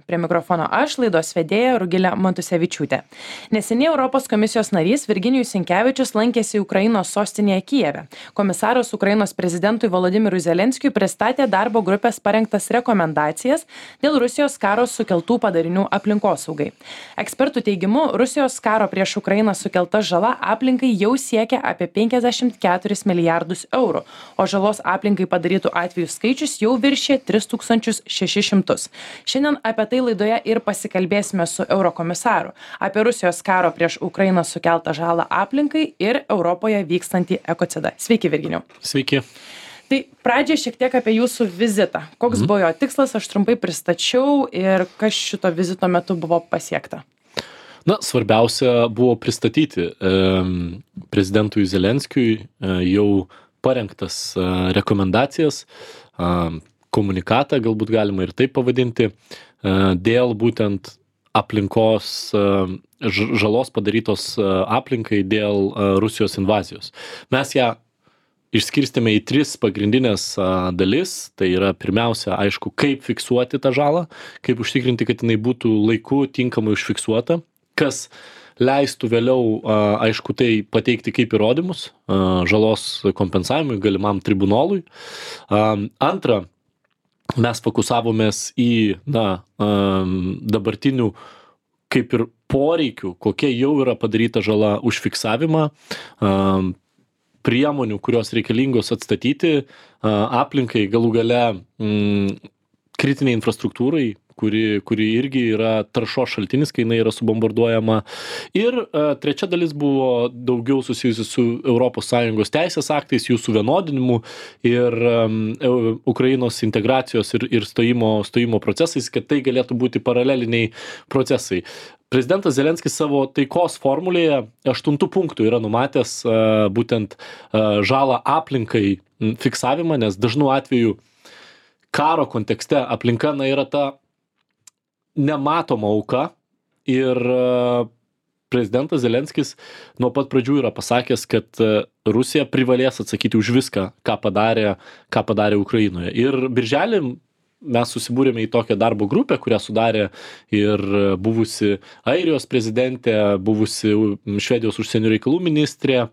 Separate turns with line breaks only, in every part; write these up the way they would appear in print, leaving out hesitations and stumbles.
Prie mikrofono aš, laidos vedėja Rugilė Matusevičiūtė. Neseniai Europos komisijos narys Virginijus Sinkevičius lankėsi Ukrainos sostinėje Kijeve. Komisaras Ukrainos prezidentui Volodymyrui Zelenskiui pristatė darbo grupės parengtas rekomendacijas dėl Rusijos karo sukeltų padarinių aplinkosaugai. Ekspertų teigimu, Rusijos karo prieš Ukrainą sukelta žala aplinkai jau siekia apie 54 milijardus eurų, o žalos aplinkai padarytų atvejų skaičius jau viršė 3600. Šiandien apie tai laidoje ir pasikalbėsime su eurokomisaru apie Rusijos karo prieš Ukrainą sukeltą žalą aplinkai ir Europoje vykstantį ekocidą. Sveiki, Virginijau.
Sveiki.
Tai pradžiai šiek tiek apie jūsų vizitą. Koks buvo jo tikslas, aš trumpai pristačiau ir kas šito vizito metu buvo pasiekta.
Svarbiausia buvo pristatyti prezidentui Zelenskiui jau parengtas rekomendacijas, komunikatą, galbūt galima ir taip pavadinti, dėl būtent aplinkos žalos padarytos aplinkai dėl Rusijos invazijos. Mes ją išskirstėme į 3 pagrindinės dalis. Tai yra pirmiausia, aišku, kaip fiksuoti tą žalą, kaip užtikrinti, kad jinai būtų laiku tinkamai užfiksuota, kas leistų vėliau, aišku, tai pateikti kaip įrodymus žalos kompensavimui galimam tribunolui. Antra, mes fokusavomės į dabartinių kaip ir poreikių, kokia jau yra padaryta žala užfiksavimą, priemonių, kurios reikalingos atstatyti aplinkai, galų gale kritiniai infrastruktūrai, kuri irgi yra taršos šaltinis, kai jinai yra subombarduojama. Ir trečia dalis buvo daugiau susijusi su ES teisės aktais, jų suvienodinimu ir Ukrainos integracijos ir stojimo procesais, kad tai galėtų būti paraleliniai procesai. Prezidentas Zelenskis savo taikos formulėje 8 punktų yra numatęs būtent žalą aplinkai fiksavimą, nes dažnu atveju karo kontekste aplinka yra ta nematoma auka ir prezidentas Zelenskis nuo pat pradžių yra pasakęs, kad Rusija privalės atsakyti už viską, ką padarė Ukrainoje. Ir birželį mes susibūrėme į tokią darbo grupę, kurią sudarė ir buvusi Airijos prezidentė, buvusi Švedijos užsienio reikalų ministrė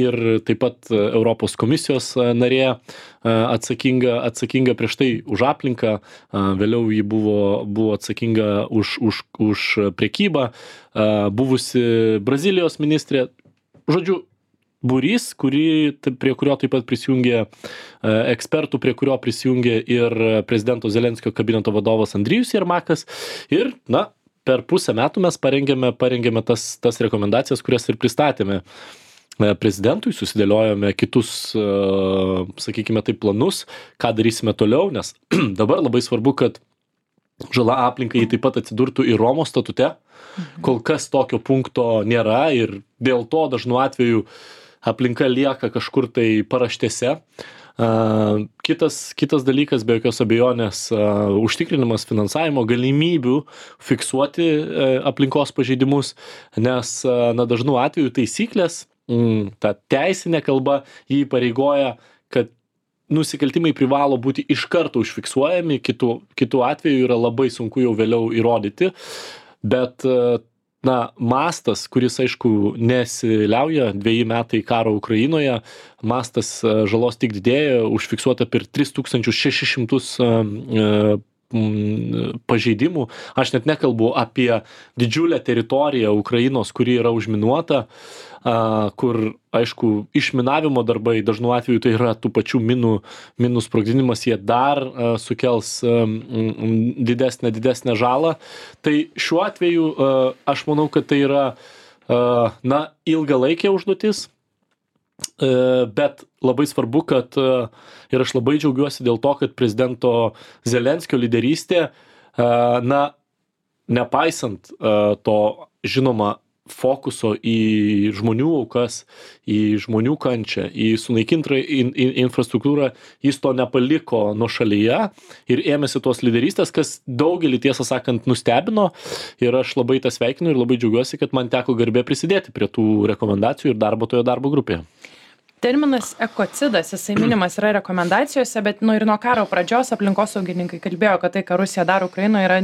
ir taip pat Europos komisijos narė atsakinga prieš tai už aplinką, vėliau ji buvo atsakinga už prekybą, buvusi Brazilijos ministrė, žodžiu, būrys, prie kurio taip pat prisijungė ekspertų, prie kurio prisijungė ir prezidento Zelenskio kabineto vadovas Andrijus Jermakas. Ir, per pusę metų mes parengėme tas rekomendacijas, kurias ir pristatėme prezidentui, susidėliojome kitus, sakykime taip, planus, ką darysime toliau, nes dabar labai svarbu, kad žala aplinkai taip pat atsidurtų ir Romos statute. Kol kas tokio punkto nėra ir dėl to dažnu atveju aplinka lieka kažkur tai paraštėse. Kitas dalykas, be jokios abejonės, užtikrinimas finansavimo galimybių fiksuoti aplinkos pažeidimus, nes dažnu atveju taisyklės, ta teisinė kalba jį įpareigoja, kad nusikaltimai privalo būti iš karto užfiksuojami, kitų atveju yra labai sunku jau vėliau įrodyti, bet mastas, kuris, aišku, nesiliauja, 2 metai karo Ukrainoje, mastas žalos tik didėja, užfiksuota per 3600 pažeidimų. Aš net nekalbu apie didžiulę teritoriją Ukrainos, kuri yra užminuota, kur, aišku, išminavimo darbai, dažnu atveju tai yra tų pačių minų sprogdinimas, jie dar sukels didesnę žalą. Tai šiuo atveju aš manau, kad tai yra ilgalaikė užduotis, bet labai svarbu, kad ir aš labai džiaugiuosi dėl to, kad prezidento Zelenskio lyderystė, nepaisant to, žinoma, fokuso į žmonių aukas, į žmonių kančią, į sunaikintą infrastruktūrą, jis to nepaliko nuošalyje ir ėmėsi tos lyderystės, kas daugelį, tiesą sakant, nustebino, ir aš labai tą sveikinu ir labai džiaugiuosi, kad man teko garbė prisidėti prie tų rekomendacijų ir darbo toje darbo grupėje.
Terminas ekocidas, jisai minimas yra rekomendacijose, bet ir nuo karo pradžios aplinkosaugininkai kalbėjo, kad tai, ką Rusija daro Ukrainoje, yra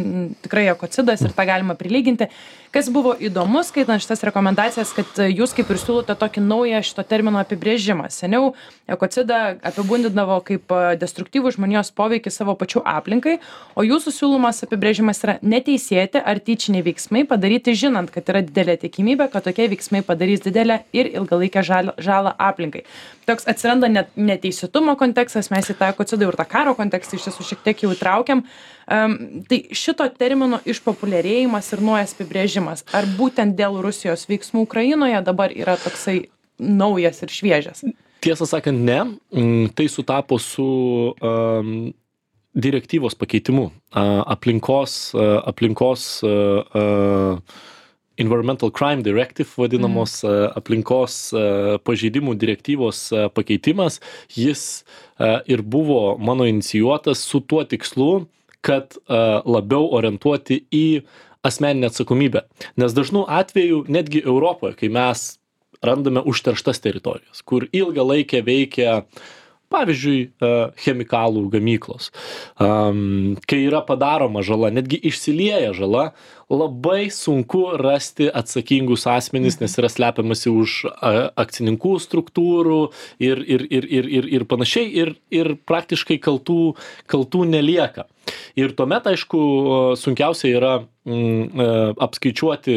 tikrai ekocidas ir tą galima prilyginti. Kas buvo įdomu, skaitant šitas rekomendacijas, kad jūs kaip ir siūlote tokį naują šito termino apibrėžimą. Seniau ekocidą apibūdindavo kaip destruktyvų žmonijos poveikį savo pačių aplinkai, o jūsų siūlomas apibrėžimas yra neteisėti ar tyčiniai veiksmai padaryti žinant, kad yra didelė tikimybė, kad tokie veiksmai padarys didelę ir ilgalaikę žalą aplinkai. Toks atsiranda neteisėtumo kontekstas, mes į tą ekocidą ir tą karo kontekstą iš tiesų šiek tiek jau įtraukiam. Tai šito termino išpopuliarėjimas ir naujas apibrėžimas, ar būtent dėl Rusijos veiksmų Ukrainoje dabar yra toksai naujas ir šviežias?
Tiesą sakant, ne. Tai sutapo su direktyvos pakeitimu. Aplinkos Environmental Crime Directive vadinamos aplinkos pažeidimų direktyvos pakeitimas, jis ir buvo mano inicijuotas su tuo tikslu, kad labiau orientuoti į asmeninę atsakomybę. Nes dažnu atveju, netgi Europoje, kai mes randame užterštas teritorijas, kur ilgą laikę veikia, pavyzdžiui, chemikalų gamyklos, kai yra padaroma žala, netgi išsilieja žala, labai sunku rasti atsakingus asmenys, nes yra slepiamasi už akcininkų struktūrų ir panašiai, ir praktiškai kaltų nelieka. Ir tuomet, aišku, sunkiausia yra apskaičiuoti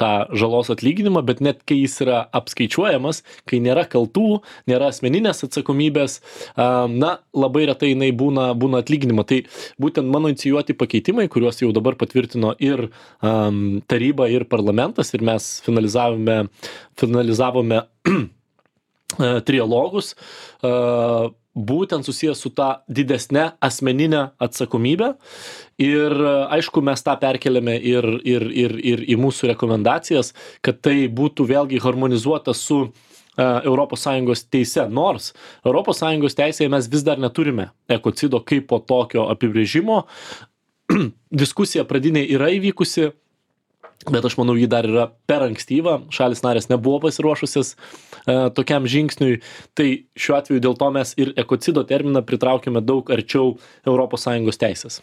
tą žalos atlyginimą, bet net kai jis yra apskaičiuojamas, kai nėra kaltų, nėra asmeninės atsakomybės, labai retai jinai būna atlyginima. Tai būtent mano inicijuoti pakeitimai, kuriuos jau dabar patvirtino ir taryba, ir parlamentas, ir mes finalizavome trialogus, būtent susijęs su ta didesne asmeninė atsakomybė. Ir aišku, mes tą perkeliame ir į mūsų rekomendacijas, kad tai būtų vėlgi harmonizuota su ES teise. Nors ES teisėje mes vis dar neturime ekocido kaip po tokio apibrėžimo. Diskusija pradinė yra įvykusi, bet aš manau, ji dar yra per ankstyva. Šalis narės nebuvo pasiruošusios tokiam žingsniui. Tai šiuo atveju dėl to mes ir ekocido terminą pritraukėme daug arčiau ES teisės.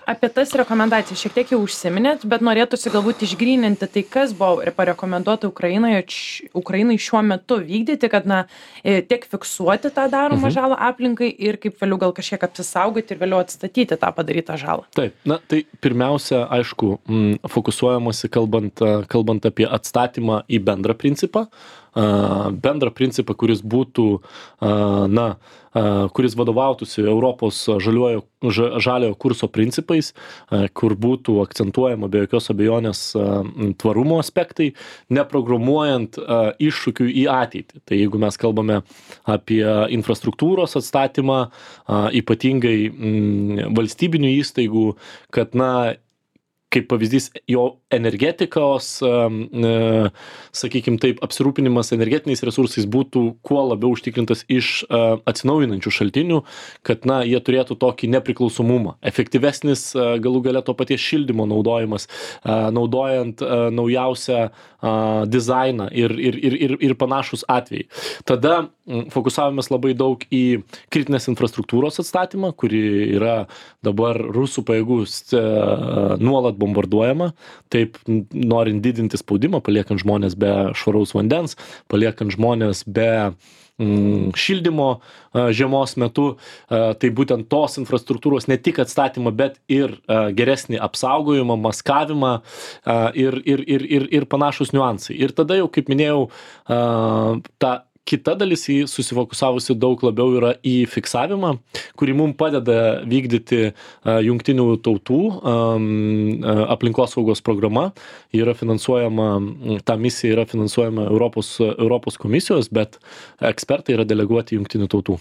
Apie tas rekomendacijas šiek tiek jau užsiminėt, bet norėtųsi galbūt išgryninti tai, kas buvo parekomenduota Ukrainai šiuo metu vykdyti, kad tiek fiksuoti tą daromą žalą aplinkai ir kaip vėliau gal kažkiek apsisaugoti ir vėliau atstatyti tą padarytą žalą.
Taip, tai pirmiausia, aišku, fokusuojamasi kalbant apie atstatymą į bendrą principą, kuris būtų, kuris vadovautųsi Europos žaliojo kurso principais, kur būtų akcentuojama be jokios abejonės tvarumo aspektai, neprogramuojant iššūkių į ateitį. Tai jeigu mes kalbame apie infrastruktūros atstatymą, ypatingai valstybinių įstaigų, kad kaip pavyzdys, jo energetikos, sakykime taip, apsirūpinimas energetiniais resursais būtų kuo labiau užtikrintas iš atsinaujinančių šaltinių, kad jie turėtų tokį nepriklausomumą. Efektyvesnis galų gale to paties šildymo naudojimas, naudojant naujausią dizainą ir panašus atvejai. Tada fokusavomės labai daug į kritinės infrastruktūros atstatymą, kuri yra dabar rusų pajėgų nuolat bombarduojama, taip norint didinti spaudimą, paliekant žmonės be švaraus vandens, paliekant žmonės be šildymo žiemos metu, tai būtent tos infrastruktūros ne tik atstatymą, bet ir geresnį apsaugojimą, maskavimą ir panašus niuansai. Ir tada jau, kaip minėjau, ta kita dalis į susifokusavusi daug labiau yra į fiksavimą, kurį mums padeda vykdyti jungtinių tautų aplinkosaugos programa. Yra finansuojama, ta misija yra finansuojama Europos komisijos, bet ekspertai yra deleguoti jungtinių tautų.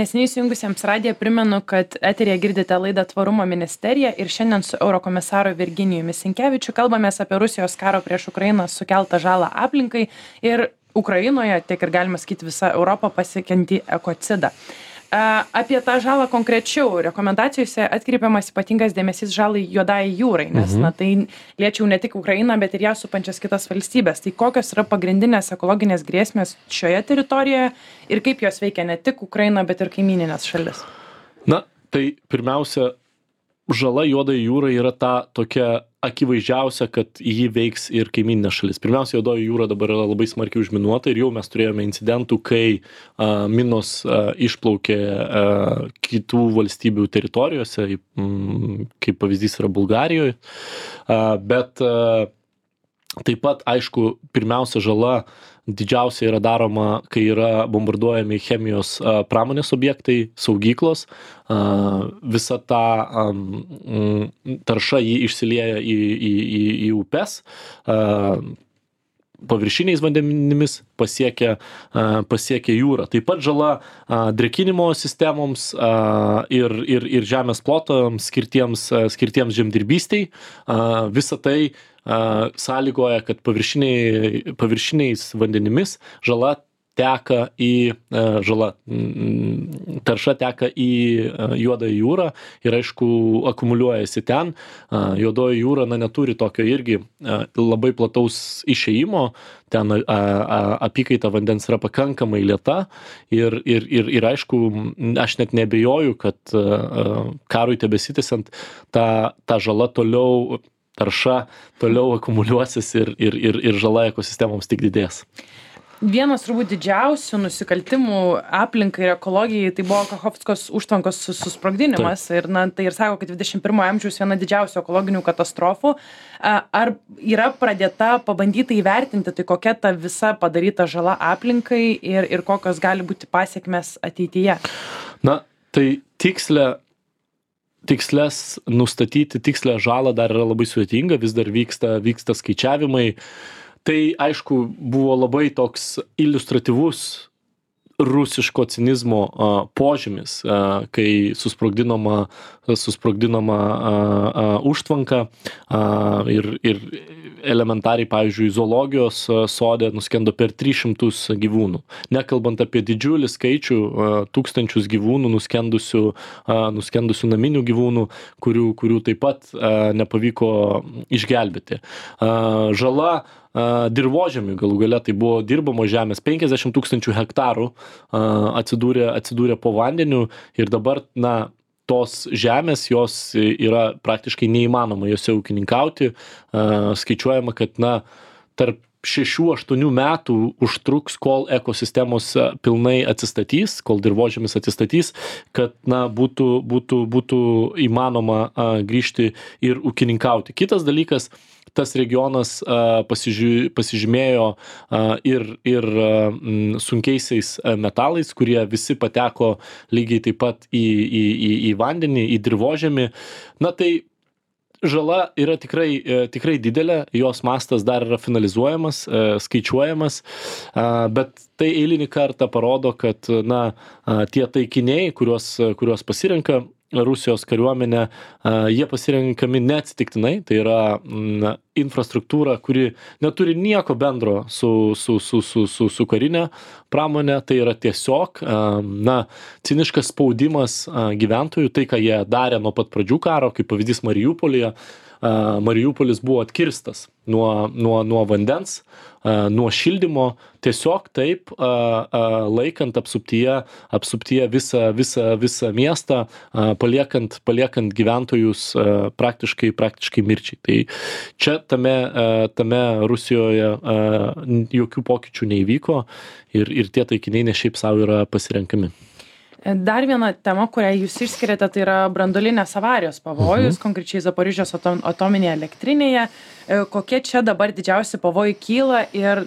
Neseniai įsijungusiems radiją primenu, kad eteryje girdite laidą Tvarumo ministerija ir šiandien su eurokomisaru Virginijumi Sinkevičiu kalbamės apie Rusijos karo prieš Ukrainą sukeltą žalą aplinkai ir Ukrainoje, tiek ir galima sakyti visą Europą pasiekiantį ekocidą. Apie tą žalą konkrečiau rekomendacijose atkreipiamas ypatingas dėmesys žalai Juodajai jūrai, nes tai liečia ne tik Ukrainą, bet ir ją supančias kitas valstybės. Tai kokios yra pagrindinės ekologinės grėsmės šioje teritorijoje ir kaip jos veikia ne tik Ukrainą, bet ir kaimininės šalis?
Na, tai pirmiausia, žala Juodajai jūrai yra ta tokia akivaizdžiausia, kad jį veiks ir kaimininės šalis. Pirmiausia, Juodoji jūra dabar yra labai smarkiai užminuota ir jau mes turėjome incidentų, kai minos išplaukė kitų valstybių teritorijose, kaip pavyzdys yra Bulgarijoje, bet taip pat, aišku, pirmiausia žala didžiausia yra daroma, kai yra bombarduojami chemijos pramonės objektai, saugyklos, visa ta tarša jį išsilieja į upes, paviršiniais vandenimis pasiekia jūrą. Taip pat žala drėkinimo sistemoms ir žemės plotams skirtiems žemdirbystei. Visa tai sąlygoja, kad paviršiniais vandenimis tarša teka į Juodąją jūrą ir aišku akumuliuojasi ten. Juodoji jūra neturi tokio irgi labai plataus išėjimo, ten apykaita vandens yra pakankamai lėta ir aišku, aš net neabejoju, kad karui tebesitęsiant ta žala tarša toliau akumuliuosis ir žala ekosistemoms tik didės.
Vienas turbūt didžiausių nusikaltimų aplinkai ir ekologijai tai buvo Kachovskos užtvankos susprogdinimas. Ir tai ir sako, kad 21 amžiaus viena didžiausių ekologinių katastrofų. Ar yra pradėta pabandyta įvertinti, tai kokia ta visa padaryta žala aplinkai ir kokios gali būti pasiekmes ateityje?
Na, tai nustatyti tikslę žalą dar yra labai sudėtinga, vis dar vyksta skaičiavimai. Tai, aišku, buvo labai toks iliustratyvus rusiško cinizmo požymis, kai susprogdinama užtvanka ir elementariai, pavyzdžiui, zoologijos sode nuskendo per 300 gyvūnų. Nekalbant apie didžiulį skaičių, tūkstančius gyvūnų nuskendusių naminių gyvūnų, kurių taip pat nepavyko išgelbėti. Žala dirvožemiui galų gale, tai buvo dirbamos žemės, 50 000 hektarų atsidūrė po vandeniu ir dabar, tos žemės, jos yra praktiškai neįmanoma jose ūkininkauti. Skaičiuojama, kad tarp 6-8 metų užtruks, kol ekosistemos pilnai atsistatys, kol dirvožemis atsistatys, kad būtų įmanoma grįžti ir ūkininkauti. Kitas dalykas, tas regionas pasižymėjo ir sunkiaisiais metalais, kurie visi pateko lygiai taip pat į vandenį, į dirvožemį. Tai žala yra tikrai didelė, jos mastas dar yra finalizuojamas, skaičiuojamas, bet tai eilinį kartą parodo, kad tie taikiniai, kuriuos pasirenka Rusijos kariuomenė, jie pasirenkami neatsitiktinai, tai yra infrastruktūra, kuri neturi nieko bendro su karinė pramonė, tai yra tiesiog ciniškas spaudimas gyventojų, tai ką jie darė nuo pat pradžių karo, kaip pavyzdys Mariupolyje. Mariupolis buvo atkirstas nuo vandens, nuo šildymo, tiesiog taip laikant apsuptyje visą miestą, paliekant gyventojus praktiškai mirčiai. Tai čia tame Rusijoje jokių pokyčių neįvyko ir tie taikiniai ne šiaip savo yra pasirenkami.
Dar viena tema, kurią jūs išskiriate, tai yra branduolinės avarijos pavojus, konkrečiai Zaporižės atominėje elektrinėje. Kokie čia dabar didžiausi pavojai kyla ir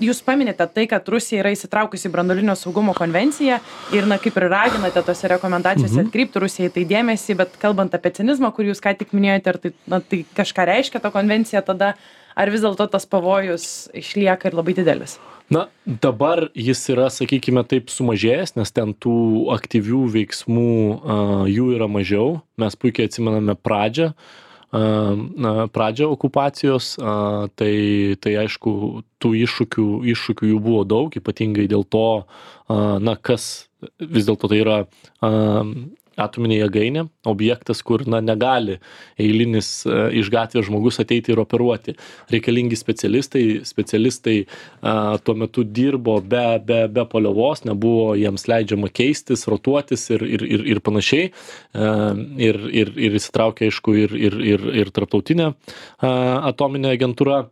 jūs paminite tai, kad Rusija yra įsitraukusi į branduolinio saugumo konvenciją ir kaip ir raginate tose rekomendacijose atkreipti Rusijai tai dėmesį, bet kalbant apie cinizmą, kurį jūs ką tik minėjote, ar tai kažką reiškia ta konvencija tada, ar vis dėlto tas pavojus išlieka ir labai didelis?
Dabar jis yra, sakykime, taip sumažėjęs, nes ten tų aktyvių veiksmų jų yra mažiau. Mes puikiai atsimename pradžią, pradžią okupacijos, tai aišku, tų iššūkių jų buvo daug, ypatingai dėl to, kas vis dėlto tai yra atominė jėgainė, objektas, kur negali eilinis iš gatvės žmogus ateiti ir operuoti. Reikalingi specialistai tuo metu dirbo be paliovos, nebuvo jiems leidžiama keistis, rotuotis ir panašiai. Ir įsitraukė, aišku, ir tarptautinė atominė agentūra.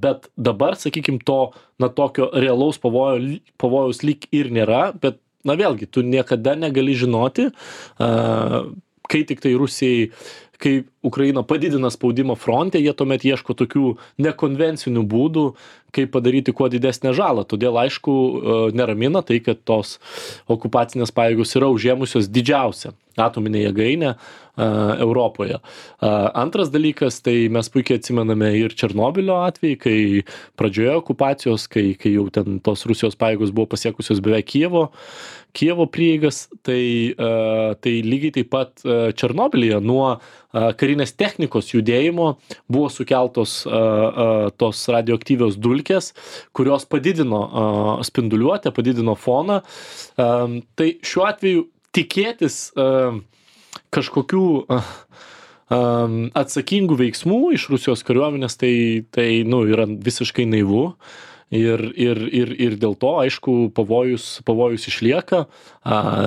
Bet dabar, sakykime, tokio realaus pavojaus lyg ir nėra, bet vėlgi, tu niekada negali žinoti, kai tik tai Rusijai, kai Ukraina padidina spaudimą fronte, jie tuomet ieško tokių nekonvencinių būdų, kaip padaryti kuo didesnę žalą. Todėl, aišku, neramina tai, kad tos okupacinės pajėgos yra užėmusios didžiausią atominę jėgainę Europoje. Antras dalykas, tai mes puikiai atsimename ir Černobylio atvejį, kai pradžioje okupacijos, kai jau ten tos Rusijos pajėgos buvo pasiekusios beveik Kijevo prieigas, tai lygiai taip pat Černobylyje nuo karinės technikos judėjimo buvo sukeltos tos radioaktyvios dulkės, kurios padidino spinduliuotę, padidino foną. Tai šiuo atveju tikėtis kažkokių atsakingų veiksmų iš Rusijos kariuomenės, tai yra visiškai naivu. Ir dėl to, aišku, pavojus išlieka.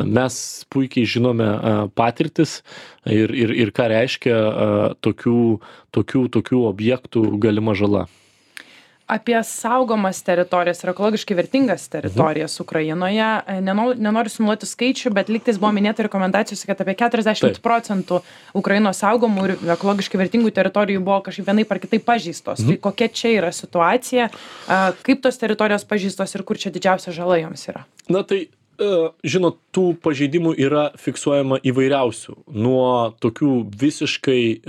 Mes puikiai žinome patirtis ir ką reiškia tokių objektų galima žala.
Apie saugomas teritorijas ir ekologiškai vertingas teritorijas Ukrainoje. Nenoriu sumuoti skaičių, bet lygtais buvo minėta rekomendacijose, kad apie 40% Ukrainos saugomų ir ekologiškai vertingų teritorijų buvo kažkaip vienaip ar kitaip pažeistos. Tai kokia čia yra situacija, kaip tos teritorijos pažeistos ir kur čia didžiausia žala joms yra?
Žinot, tų pažeidimų yra fiksuojama įvairiausių. Nuo tokių visiškai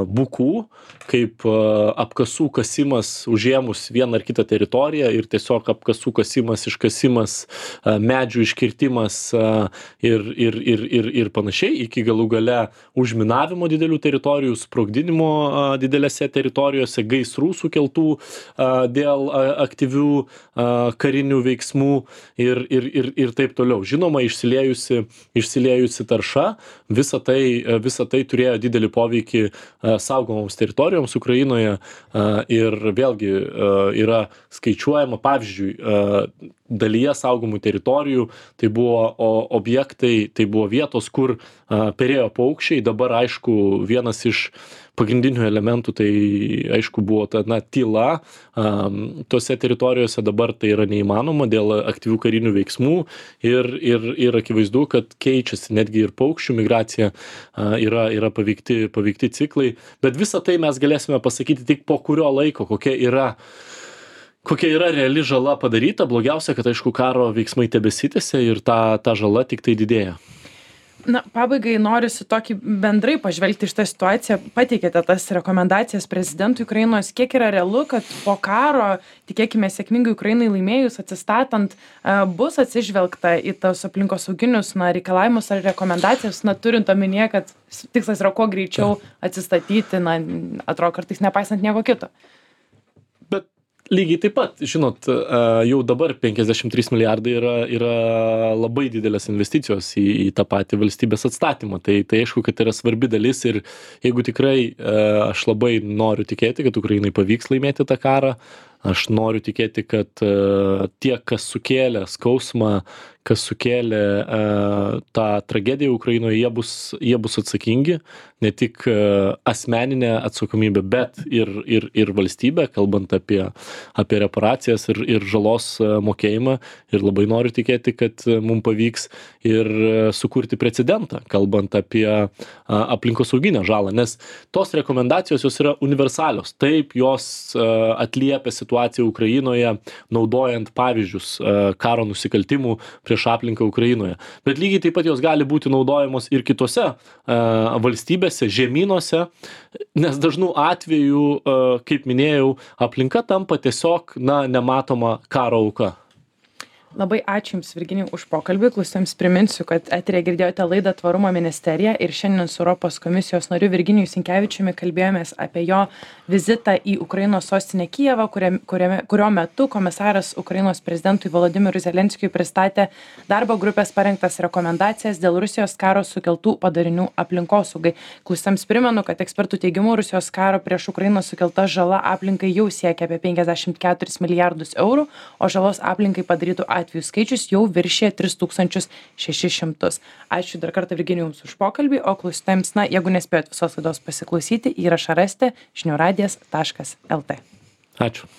bukų, kaip apkasų kasimas užėmus vieną ar kitą teritoriją ir tiesiog apkasų kasimas, iškasimas, medžių iškirtimas ir panašiai, iki galų gale užminavimo didelių teritorijų, sprogdinimo didelėse teritorijose, gaisrų sukeltų dėl aktyvių karinių veiksmų ir taip toliau. Žinoma, išsiliejusi tarša, visa tai turėjo didelį poveikį saugomoms teritorijoms Ukrainoje ir vėlgi yra skaičiuojama, pavyzdžiui, dalyje saugomų teritorijų, tai buvo objektai, tai buvo vietos, kur perėjo paukščiai. Dabar, aišku, vienas iš pagrindinių elementų, tai aišku buvo ta tyla tose teritorijose, dabar tai yra neįmanoma dėl aktyvių karinių veiksmų ir akivaizdu, kad keičiasi netgi ir paukščių migracija, yra paveikti ciklai, bet visą tai mes galėsime pasakyti tik po kurio laiko, kokia yra reali žala padaryta. Blogiausia, kad aišku karo veiksmai tebesitęsia ir ta žala tik tai didėja.
Pabaigai norisi tokį bendrai pažvelgti šitą situaciją. Pateikėte tas rekomendacijas prezidentui Ukrainos. Kiek yra realu, kad po karo, tikėkime sėkmingai Ukrainai laimėjus, atsistatant, bus atsižvelgta į tos aplinkosauginius reikalavimus ar rekomendacijas, turint omenyje, kad tikslas yra kuo greičiau atsistatyti, atrodo kartais nepaisant nieko kito.
Lygiai taip pat, žinot, jau dabar 53 milijardai yra labai didelės investicijos į tą patį valstybės atstatymą. Tai aišku, kad yra svarbi dalis ir jeigu tikrai aš labai noriu tikėti, kad Ukrainai pavyks laimėti tą karą, aš noriu tikėti, kad tie, kas sukėlė skausmą, kas sukėlė tą tragediją Ukrainoje, jie bus atsakingi, ne tik asmeninę atsakomybę, bet ir valstybę, kalbant apie reparacijas ir žalos mokėjimą. Ir labai noriu tikėti, kad mums pavyks ir sukurti precedentą, kalbant apie aplinkosauginę žalą, nes tos rekomendacijos jos yra universalios. Taip, jos atliepia situaciją Ukrainoje, naudojant pavyzdžius karo nusikaltimų prieš aplinką Ukrainoje. Bet lygiai taip pat jos gali būti naudojamos ir kitose valstybėse, žemynuose, nes dažnų atveju, kaip minėjau, aplinka tampa tiesiog nematoma karo auka.
Labai ačiū Jums, Virginijau, už pokalbį. Klausytojams priminsiu, kad eteryje girdėjote laidą Tvarumo ministerija ir šiandien su Europos komisijos nariu Virginiju Sinkevičiumi kalbėjomės apie jo vizitą į Ukrainos sostinę Kijevą, kurio metu komisaras Ukrainos prezidentui Volodymyrui Zelenskiui pristatė darbo grupės parengtas rekomendacijas dėl Rusijos karo sukeltų padarinių aplinkosaugai. Klausytojams primenu, kad ekspertų teigimu Rusijos karo prieš Ukrainą sukelta žala aplinkai jau siekia apie 54 milijardus eurų, o žalos aplinkai padarytų atvejų skaičius jau viršė 3600. Ačiū dar kartą Virginijui Jums už pokalbį, o klausytojams, jeigu nespėjot visos laidos pasiklausyti, įrašą rasite žiniųradijas.lt.
Ačiū.